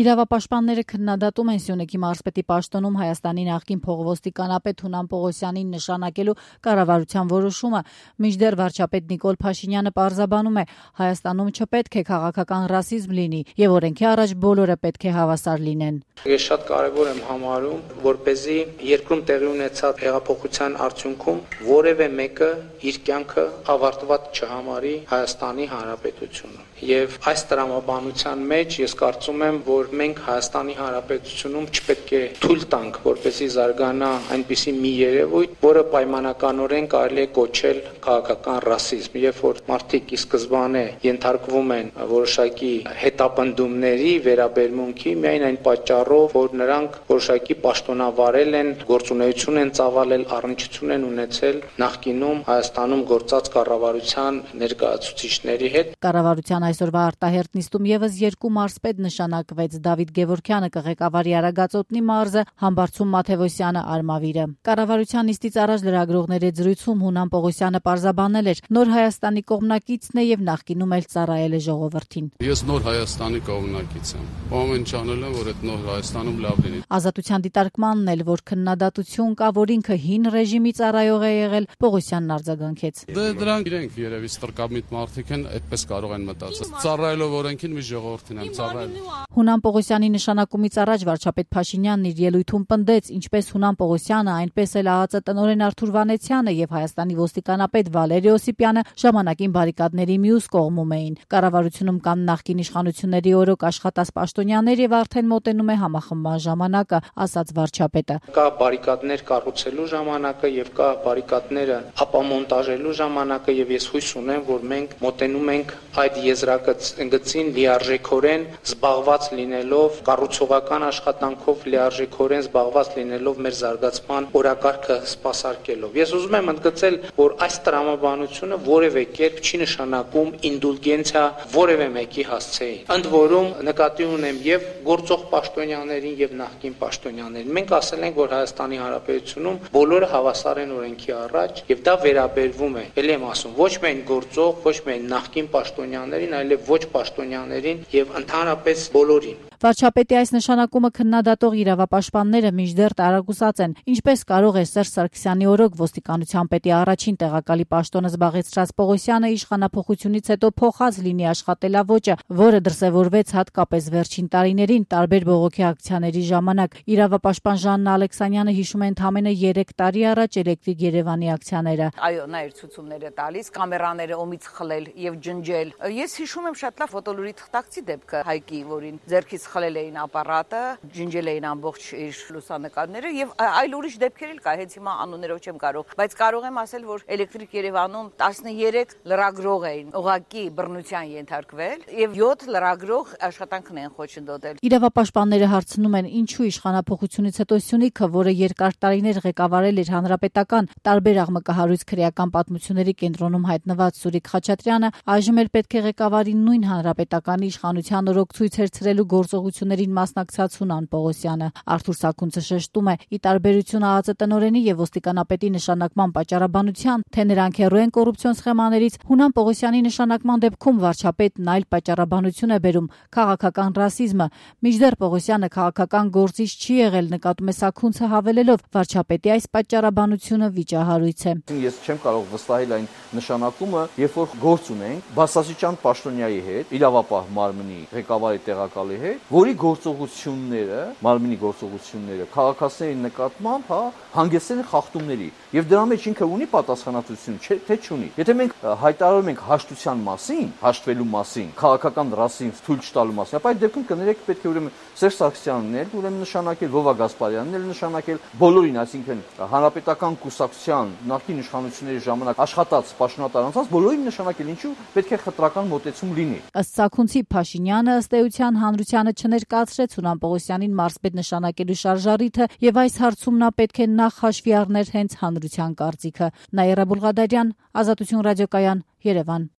Իրավապաշտպանները քննադատում են Սյունիքի մարզպետի պաշտոնում Հայաստանի նախկին փոխոստիկանապետ Հունան Պողոսյանին նշանակելու կառավարության որոշումը, մինչդեռ վարչապետ Նիկոլ Փաշինյանը պարզաբանում է, Հայաստանում չպետք է քաղաքական ռասիզմ լինի եւ օրենքի առաջ բոլորը պետք է հավասար լինեն։ Ես շատ կարևոր եմ համարում, որպեսզի երկրում տեղի ունեցած հեղափոխության արդյունքում որևէ մեկը իր կյանքը ավարտված չհամարի Հայաստանի Հանրապետությունում։ Եվ այս տրամաբանության մեջ ես կարծում եմ, որ մենք Հայաստանի Հանրապետությունում չպետք է թույլ տանք, որպեսզի զարգանա այնպիսի մի երևույթ, որը պայմանականորեն կարելի է կոչել քաղաքական ռասիզմ, երբ որ մարդիկ ի սկզբանե ենթարկվում են որոշակի հետապնդումների, վերաբերմունքի, միայն այն պատճառով, որ նրանք որոշակի պաշտոնավարել են, գործունեություն են ծավալել, առնչություն են ունեցել նախկինում Հայաստանում գործած կառավարության ներկայացուցիչների հետ։ Կառավարության այսօրվա արտահերտ նիստում եւս երկու մարզպետ նշանակվեց՝ Դավիթ Գևորգյանը կղեկավարի Արագածոտնի մարզը, Համբարձում Մաթևոսյանը Արմավիրը։ Կառավարության նիստից առաջ լրագրողների զրույցում Հունան Պողոսյանը պարզաբանել էր, նոր Հայաստանի կողմնակիցն է եւ նախկինում էլ ծառայել է ժողովրդին։ Ես նոր Հայաստանի կողմնակից եմ։ Ամեն ինչ անել եմ, որ այդ նոր Հայաստանում լավ լինի։ Ազատության դիտարկմանն էլ, որ քննադատություն կա, որ ինքը հին ռեժիմի ծառայող է եղել, Պողոսյանն արձագանքեց։ Դրանք իրենք երևի ստրկամիտ մարդիկ են, այդպես կարող են մտածել։ Ծառայելով օրենքին մի ժողովրդին եմ ծառայել։ Հունան Պողոսյանի նշանակումից առաջ վարչապետ Փաշինյանն իր ելույթում պնդեց, ինչպես Հունան Պողոսյանը, այնպես էլ ԱԱԾ տնօրեն Արթուր Վանեցյանը եւ Հայաստանի ոստիկանապետ Վալերի Օսիպյանը ժամանակին բարիկադների մյուս կողմում էին։ Կառավարությունում կան նախկին իշխանությունների օրոք աշխատած պաշտոնյաներ եւ արդեն մոտենում է համախմբման ժամանակը, ասաց վարչապետը։ Կա բարիկադներ կառուցելու ժամանակը եւ կա բարիկադները ապամոնտաժելու ժամանակը եւ ես հույս ունեմ, որ մենք մոտենում ենք այդ եզրագծին լիարժեքորեն զբաղված լինելով, կառուցողական աշխատանքով լիարժեքորեն զբաղված լինելով մեր զարգացման օրակարգը սպասարկելով։ Ես ուզում եմ ընդգծել, որ այս տրամաբանությունը որևէ կերպ չի նշանակում ինդուլգենցիա որևէ մեկի հասցեին։ Ընդ որում նկատի ունեմ եւ գործող պաշտոնյաներին եւ նախկին պաշտոնյաներին։ Մենք ասել ենք, որ Հայաստանի Հանրապետությունում բոլորը հավասար են օրենքի առաջ եւ դա վերաբերվում է, ելի եմ ասում, ոչ միայն գործող, ոչ միայն նախկին պաշտոնյաներին, այլև ոչ պաշտոնյաներին եւ ընդհանրապես բոլորին։ Վարչապետի այս նշանակումը քննադատող իրավապաշտպանները մինչդեռ տարակուսած են, ինչպես կարող է Սերժ Սարգսյանի օրոք ոստիկանության պետի առաջին տեղակալի պաշտոնը զբաղեցրած Պողոսյանը իշխանափոխությունից հետո փոխած լինի աշխատելավոճը, որը դրսևորվեց հատկապես վերջին տարիներին տարբեր բողոքի ակցիաների ժամանակ։ Իրավապաշտպան Ժաննա Ալեքսանյանը հիշում է ընդամենը 3 տարի առաջ Էլեկտրիկ Երևանի ակցիաները։ Այո, նա էր ցուցումները տալիս, կամերաները ոմից խլել եւ ջնջել։ Ես հիշում եմ շատ լավ ֆոտոլուրի թղթակցի դեպքը Հայկի, որին ձեռքից խլել էին ապարատը, ջնջել էին ամբողջ իր լուսանկարները եւ այլ ուրիշ դեպքեր էլ կա, հենց հիմա անուններով չեմ կարող, բայց կարող եմ ասել, որ Էլեկտրիկ Երևանում 13 լրագրող էին ուղակի բռնության ենթարկվել եւ 7 լրագրող աշխատանքն են խոչընդոտել։ Իրավապաշտպանները հարցնում են, ինչու իշխանափոխությունից հետո Սյունիքը, որը երկար տարիներ ղեկավարել էր հանրապետական տարբեր աղմկահարույց քրեական պատմությունների կենտրոնում հայտնված Սուրիկ Խաչատրյանը, այժմ էլ պետք է ղեկավարի նույն հանրապետականի իշխանության օրոք ցույցեր ցրելու գործողություններին մասնակցած Հունան Պողոսյանը։ Արթուր Սաքունցը շեշտում է, ի տարբերություն ԱԱԾ տնօրենի եւ ոստիկանապետի նշանակման պատճառաբանության, թե նրանք հեռու են կոռուպցիոն սխեմաներից, Հունան Պողոսյանի նշանակման դեպքում վարչապետն այլ պատճառաբանություն է բերում՝ քաղաքական ռասիզմը։ Մինչդեռ Պողոսյանը քաղաքական գործիչ չի եղել, նկատում է Սաքունցը հավելելով, վարչապետի այս պատճառաբանությունը վիճահարույց է։ Ես չեմ կարող վստահել այն նշանակումը, երբ որ գործ ունենք բարձրաստիճան պաշտոնյայի հետ, իրավապահ մարմնի ղեկավարի տեղակալի հետ, որի գործողությունները, մարմնի գործողությունները քաղաքացիների նկատմամբ, հանգեցել են խախտումների, եւ դրա մեջ ինքը ունի պատասխանատվություն, թե չունի։ Եթե մենք հայտարարում ենք հաշտության մասին, հաշտվելու մասին, քաղաքական ռասիզմ թույլ չտալու մասին, ապա այդ դեպքում կներեք պետք է ուրեմն Սերժ Սարգսյանն էլ ուրեմն նշանակել, Վովա Գասպարյանն էլ նշանակել, բոլորին, այսինքն հանրապետական կուսակցության նախկին իշխանությունների ժամանակ աշխատած պաշտոնատար անձանց բոլորին նշանակել, ինչու պետք է խտրական մոտեցում լինի։ Ըստ Սաքունցի Փաշինյանը ըստ էության հանրությանը չներկայացրեց Հունան Պողոսյանին մարզպետ նշանակելու շարժառիթը եւ այս հարցում նա պետք է նախ հաշվի առներ հենց հանրության կարծիքը։ Նաիրա Բուլղադարյան, Ազատություն ռադիոկայան, Երևան։